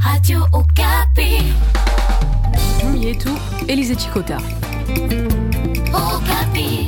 Radio Okapi. Yetu Elise Chikota. Okapi.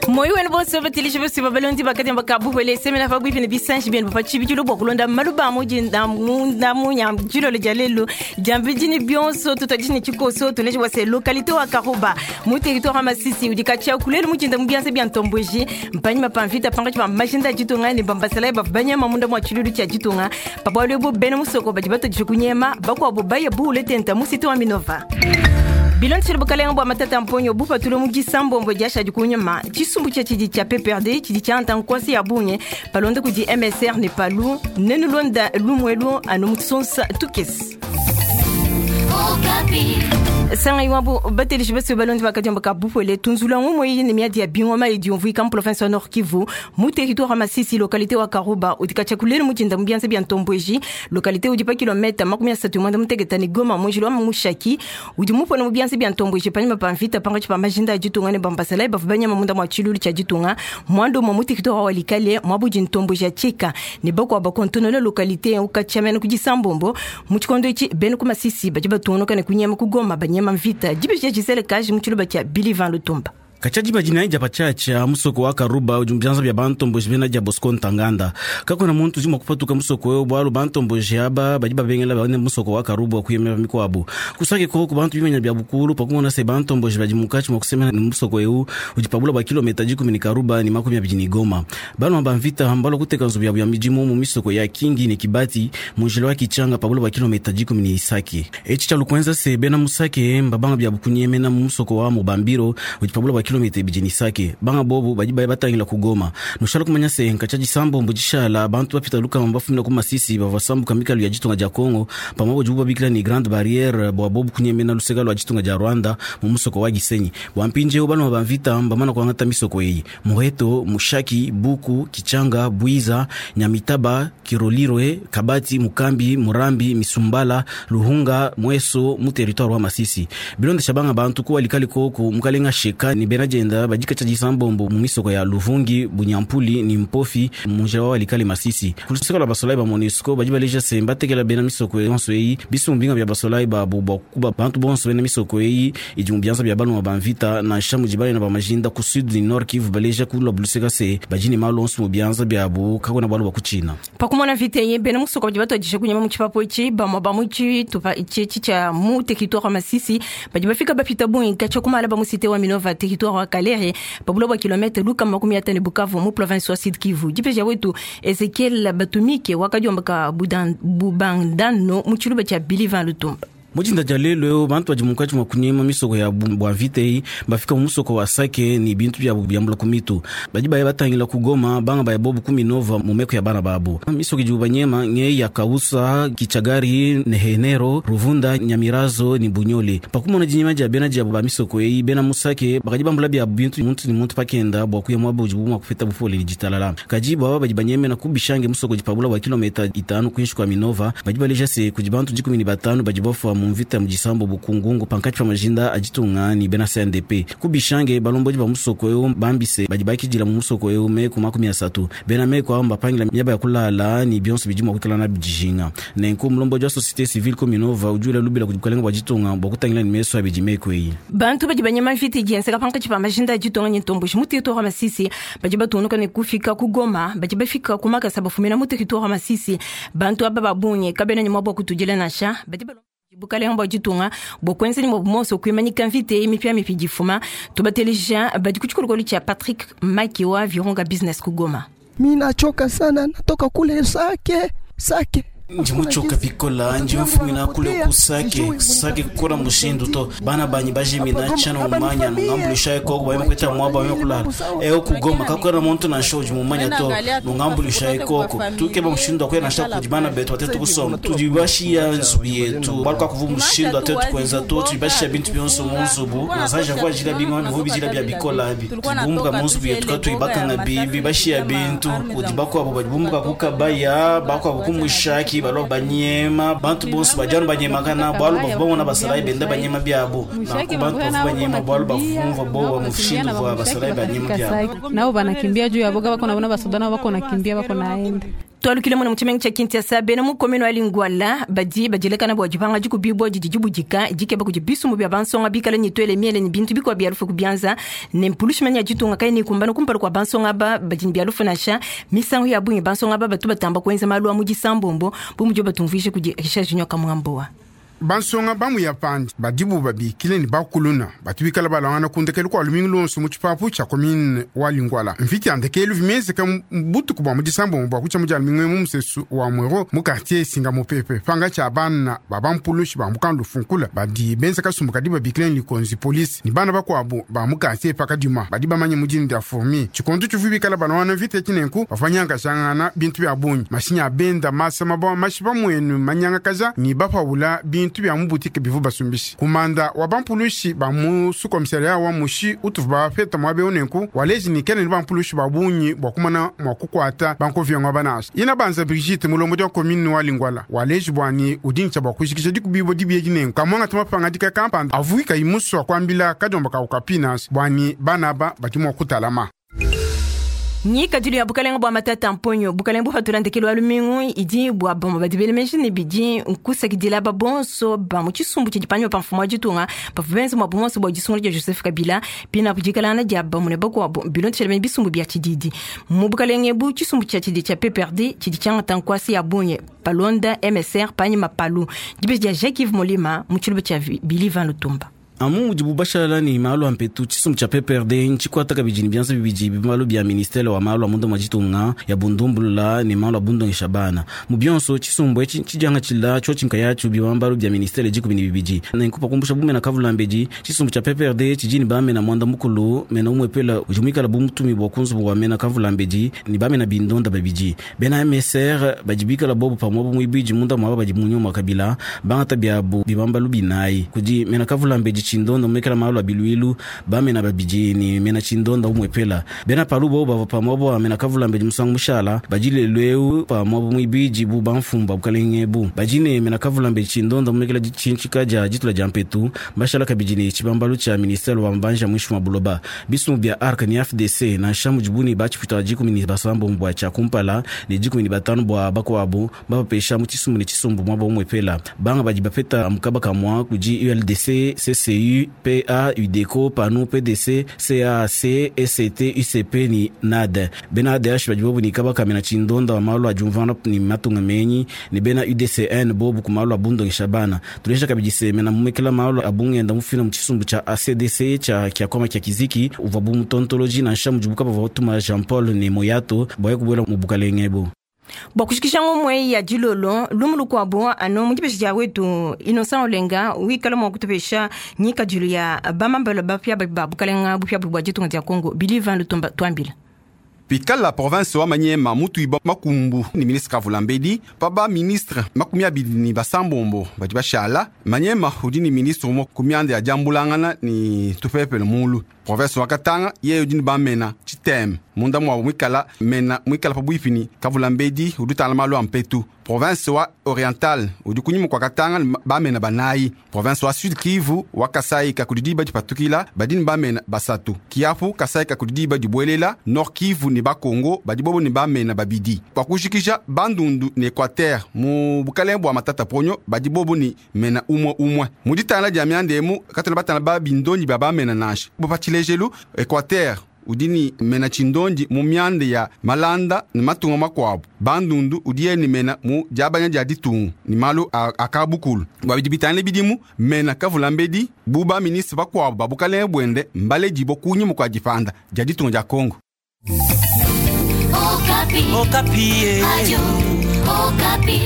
Moyo wenu bonso batelisha bose babalondi bakati bakabuhwele semena fagwipi ne bisanji byenu bapachibikilo bwa kulonda maluba amuji ndamunya jilolo dia lelo diambidini bionso tutadini tshikoso tuleje bwase localité wa Karuba mu territoire wa Masisi udi katshia kulelu mujinda mu bianza bia ntomboji mpanyima pa mvita pangatshi pa majinda ditunga ne bambasala bavu banyama munda mwa tshilulu tshia ditunga pabwalo ebu bena musoko badi batadisha kunyema bakuabu baya buule tenta mu site wa Minova. Bilondeshile bukalenga bua matata mponyo bupatule mu disambombo diashadi kunyima tshisumbu tshia tshidi tshia PPRD tshidi tshianta nkosi ya bungi palonda kudi MSR ne palu nenulonda lumwelu anu mutsonsa tukesi. Okapi. Sanga iwabo batelishi bese balondi bakadiamba kabupwele tunzula ngumwe ne miadi ya bingoma idi umvuika mu province wa Nord Kivu mu territoire wa Masisi localité wa Karuba udikacha kulelu mujinda mu bianza bia Ntombweji localité udi pa kilomètre 31 mutegeta ni Goma mujilo wa Mushaki udi mupona mu bianza bia Ntombweji panyima pa mvita pangatshi pa majinda ya ditunga ne bambasala bavu banyama munda mwa tshilulu tshia ditunga mwando mwa mu territoire wa Walikale mwa budi Ntombweji ya Tshika ne bakwa bakontonola localité ukachamena kudisambombo mu tshikondo itshi bene ku Masisi badi batunuka ne kunyema ku Goma banyema mvita dibisha Gisele Kaji mu tshiluba tshia Billy Van Lutumba. Katshia diba dinayi dia patshiatshia musoko wa Karuba udi mu bianza bia bantomboji bena dia Bosco Ntaganda. Kakuena muntu udi mua kupatuka musoko eu bualu bantomboji aba badi babengela bane musoko wa Karuba kuyemela mikuabu. Kusake koku bantu bimanya bia bukulu pakumona se bantomboji badi munkatshi mua kusemena ne musoko eu udi pabula bua kilometa dikumi ne Karuba ne 20 ne Goma. Baluma ba mvita mbalua kuteka nzubu yabu ya midimu mu misoko ya Kingi ne Kibati mu njila wa Kichanga pabula bua kilometa 10 ne Isake. Etshi tshia lukuenza se bena musake mbabanga bia bukunyemena mu musoko wa Mubambiro udi pabula bua kilomita ibidi ne Isake. Banga bobu badi baya batangila ku Goma. Nushala kumanya se nkatshia disambombo dishala bantu bapita lukama bafumina ku Masisi bavua sambuka mikalu ya ditunga dia Congo pamue budibu babikila ne Grande Barrière bua bobu kunyemena luseka lua ditunga dia Rwanda mu musoko wa Gisenyi. Bua mpindieu baluma ba mvita mbamana kuangata misoko eyi: Muheto, Mushaki, Buku, Kichanga, Bwiza, Nyamitaba, Kirolirwe, Kabati, Mukambi, Murambi, Misumbala, Luhunga, Mweso mu territoire wa Masisi. Bilondesha banga bantu ku Walikale koku mukalenga Sheka ni bena dienda badi katshia disambombo mu misoko ya Luvungi, Bunyampuli ni Mpofi mu njila wa Walikale Masisi. Ku luseka lua basolayi ba MONUSCO badi baleja se mbatekela bena misoko yonso eyi bisumbu binga bia basolayi babu bua kukuba bantu bonso bena misoko eyi idi mu bianza bia baluma ba mvita nansha mudi balena ba majinda ku sud ni nord Kivu baleja ku lua luseka se badi ne malu onso mu bianza biabu kakuena bualu bua kutshina. Pakumona mvita eyi bena musoko badi batuadija kunyema mu tshipapu etshi bamue ba mu tshitupa etshi tshia mu territoire wa Masisi badi bafika bapita bungi katshia kumala ba mu cité wa Minova territoire wa Kalehe pabula bua kilomètre lukama 50 Bukavu mu province wa Sud Kivu. Dipeja wetu Ezekiel Batumike wakadiomboka Bubandano mu tshiluba tshia Billy Van Lutumba. Mujinda dia lelo eu bantu badi munkatshi mua kunyema misoko ya bua mvita eyi bafika mu musoko wa Sake ne bintu biabu biambula ku mitu. Badi baya batangila ku Goma banga baya bobu ku Minova mu meko ya bana babu. Misoko idibu banyema ngeyi ya Kausa, Kichagari, Nehenero, Ruvunda, Nyamirazo ne Bunyole. Pakumona dinyema dia bena diabu ba misoko eyi bena mu Sake bakadi bambula biabu bintu muntu ne muntu pakenda bua kuya muaba udibu mua kupeta bupole ne ditalala. Kadi baba badi banyemena ku Bishange musoko udi pabula bua kilometa 5 kuinshi kua Minova badi baleja se kudi bantu 15 badi bafua mu mvita mu disambo bukungungu pankatshi pa majinda a ditunga ne bena CNDP. Ku Bishange balombodi ba musoko eu bambise badi bakidila mu musoko eu meku 30. Bena meku abo mbapangila miaba ya kulala ne bionso bidi mua kuikala nabi dijinga. Nenku mulombodi wa société civile ku Minova udi wela lubila kudi bukalenga bua ditunga bua kutangila ne meso abidi meku eyi. Bantu badi banyema mvita idi yenzeka pankatshi pa majinda a ditunga ne ntomboji mu territoire wa Masisi badi batunuka ne kufika ku Goma badi bafika ku Makasa bafumina mu territoire wa Masisi. Bantu aba ba bungi kabena ne muaba wa kutudila nansha badi bukalenga bua ditunga bua kuenza ne muabu monso kuimanyika mvita eyi mipiamipia difuma. Tubateleja badi ku tshikolokolo tshia Patrick Maki wa Virunga Business ku Goma. Minachoka sana, natoka kule Sake, Sake. Ndi muchoka bikola ndi mfumina kule ku Sake, Sake kukula mushindu to bana banyi bajimina tshana mumanya nungambulisha ekoko bayima kweta mwaba bayima kulala eo kugoma kakwera muntu na shoji mumanya to nungambulisha ekoko tukeba mushindu akwera nasha kudi bana betu batetu kusoma tudibashiya nzubu yetu baluka kuvu mushindu atetu kwenza to tudibashiya bintu bionso mu nzubu nazaja kwa jila bingwa bivu bijila bya bikola abi tudibumbuka mu nzubu yetu katuyibakanga bibi bashiya bintu kudi bakwabo badibumbuka kukabaya bakwabo kumushaki. Balua banyema, bantu bonso badi anu banyemakana bualu bavua bamona basalayi benda banyema biabu. Nanku bantu bavua banyema bualu bavua bumvua buowa mushindu uvua basalayi banyema biabu. Nabo banakimbia juu ya boga, bako nabona basoda nabo bako nakimbia bako naenda. Twalukile muna mu tshimenga tshia Kinshasa, bena mu commune wa Lingwala badi badielekana bua dipanga dikubibua didi dibudika dikeba kudi bisumbu bia bansonga bikale ne tuele miele ne bintu bikuabu bia lufu ku bianza ne mpulushi manya ditunga kayi nikumbana kumpala kua bansonga aba badi ne bia lufu nansha misangu ya bungi. Bansonga aba batu batamba kuenza malu a mu disambombo bu mudibo batumvuije kudi Richard Junior Kamuamboa. Bansonga bamuya pandi badibu babikile ne bakuluna batu bikala balangana ku ndekelu kua lumingu luonso mu tshipapu tshia commune wa Lingwala. Mvita ya ndekelu vimenzeka butuku bua mu disambombo bua kutshia mu dia lumingu mu musesu wa Mwero mu quartier Singamupepe panga tshia bana ba bampulushi ba mukandu lufunkula badi benza kasumbu kadi babikile ne likonzi polisi ni bana bakuabu ba mu quartier pakadima badi bamanye mu dina dia fourmi. Tshikondu tshivu bikala balangana mvita tshinenku bavanyangajangana bintu bia bungi mashinya benda masa mabawa mashi pamuenu manyangakaja ni bapawula bintu bya mu butike bivu basumbishi. Kumanda wa bampulushi ba mu sukomisaria wa mushi utuvu bafeta mwabe unenku waleji ni kene ni bampulushi ba bungi bua kumana mua kukuata bankovyangwa banasha. Ina banza Brigitte mulombo dia commune wa Lingwala waleji bwani udincha bua kushikisha dikubibo dibie dinenku kamwanga tumapanga dika kampanda avuika imusu akwambila kadiomba ka ukapinasi bwani banaba badi mua kutalama. Ngikadilu ya bukalenga bua matata mponyo bukalenga bufatula ndekelu wa lumingu idi bua bamue badi bela meji ne bidi nkusakidila aba bonso ba mu tshisumbu tshidi panyima pa mfumu wa ditunga bavua benza muabu monso bua disungula dia Joseph Kabila pina kudikalana dia bamue ne bakuabu bilondeshele bena bisumbu bia tshididi mu bukalenga ebu. Tshisumbu tshia tshidi tshia PPRD tshidi tshiangata nkuasa ya bungi palonda MSR panyima palu dibeji dia Jacques Yves Molima mu tshiluba tshia Billy Van Lutumba. Amu mudibu bashala ne malu a mpetu, tshisumbu tshia PPRD ntshikuata kabidi ne bianza bibidi bimalu bia ministere wa malu a munda mua ditunga ya bundumbulula ne malu a bundongesha bana. Mu bionso tshisumbu etshi tshidiangatshila tshiotshi nkayatshio bibambalu bia ministere 12. Nenku pakumbusha bumena kavulambedi, tshisumbu tshia PPRD tshidi ne bamena mwanda mukulu mena umwepela udi muikala bu mutumi bua kunzubu wa mena kavulambedi ne bamena bindonda babidi. Bena MSR badi bikala bobu pamue bu muibidi munda muaba badi mu nyuma Kabila bangata biabu bibambalu binayi kudi mena kavulambedi chindonda mumekela malu a biluilu bamena babidi ni mena chindonda umwepela. Bena palu bobu bavua pamue bua mena kavulambedi musangu mushala badi lelu eu pamue bu muibidi bu bamfumba bukalenge bu badi ne mena kavulambedi chindonda mumekela ditshintsika dia ditula dia mpetu bashala kabidi ne tshibambalu tshia ministere wa mbanja muinshi mua buloba. Bisumbu bia ARC ni FDC nansha mudibu ne batshipita 17 bua tshia kumpala ne 15 bua bakuabu bapesha mu tshisumbu ne tshisumbu muaba umwepela. Banga badi bapeta mukaba kamua kudi ULDC, CCU, PA, UDECO, PANU, PDC, CAC, ST, UCP ni NAD. Bena ADH badi bobu ni kabaka mena chindonda wa malu a diumvana ni matunga menyi ni bena UDCN bobu ku malu a bundongesha bana. Tulesha kabidi se mena mumekela malu a bungenda mufina mu tshisumbu tshia ACDC tshia kiakoma kia kiziki uvua bu mutontoloji nansha mudibu kabavua batuma Jean Paul ne Moyato bua kubuela mu bukalenge ebu. Bua kushikisha ngomwe ya dilolo lumu lukuabu anu mu dipesha dia wetu Innocent Olenga wikala mua kutupesha ngikadilu ya bamambelo bapia ba bukalenga bupia bua ditunga dia Congo Billy Van Lutumba twambila. Pikala province wa Maniema mutuiba makumbu ni ministre Kavulambedi paba ministre makumi abidi ni basambombo badi bashala Maniema udi ni ministre umo kumianda ya diambulangana ni tupepele mulu. Province wa Katanga ye udi ni bamena chiteme munda mwa mwikala mena mwikala pabuipi Kavulambedi udi tala malu ampetu. Province wa Oriental udi kunyima kwa Katanga bamena banayi. Province wa Sud Kivu wa Kasai kakudidiba dipatukila badi ni bamena basatu. Kiapu Kasai kakudidiba dibwelela Nord Kivu ni Bakongo badi bobo ni bamena babidi. Kwa kushikisha Bandundu ni Equateur mu bukalenga bwa Matata Ponyo badi bobo ni mena umwe umwe. Muditala dia miandemu katana batana ba bindonyi ba bamena nansha. Bopachilejelu Equateur udi ni mena chindondi mu mianda ya malanda ni matunga makuabu. Bandundu udi ni mena mu diabanya dia ditungu ni malu akabukulu. Babidi bitane bidimu mena Kavulambedi buba ministre bakuabu babukalenga bwende mbale dibo kunyima kwa dipanda dia ditunga dia Congo. Okapi. Okapi. Radio Okapi.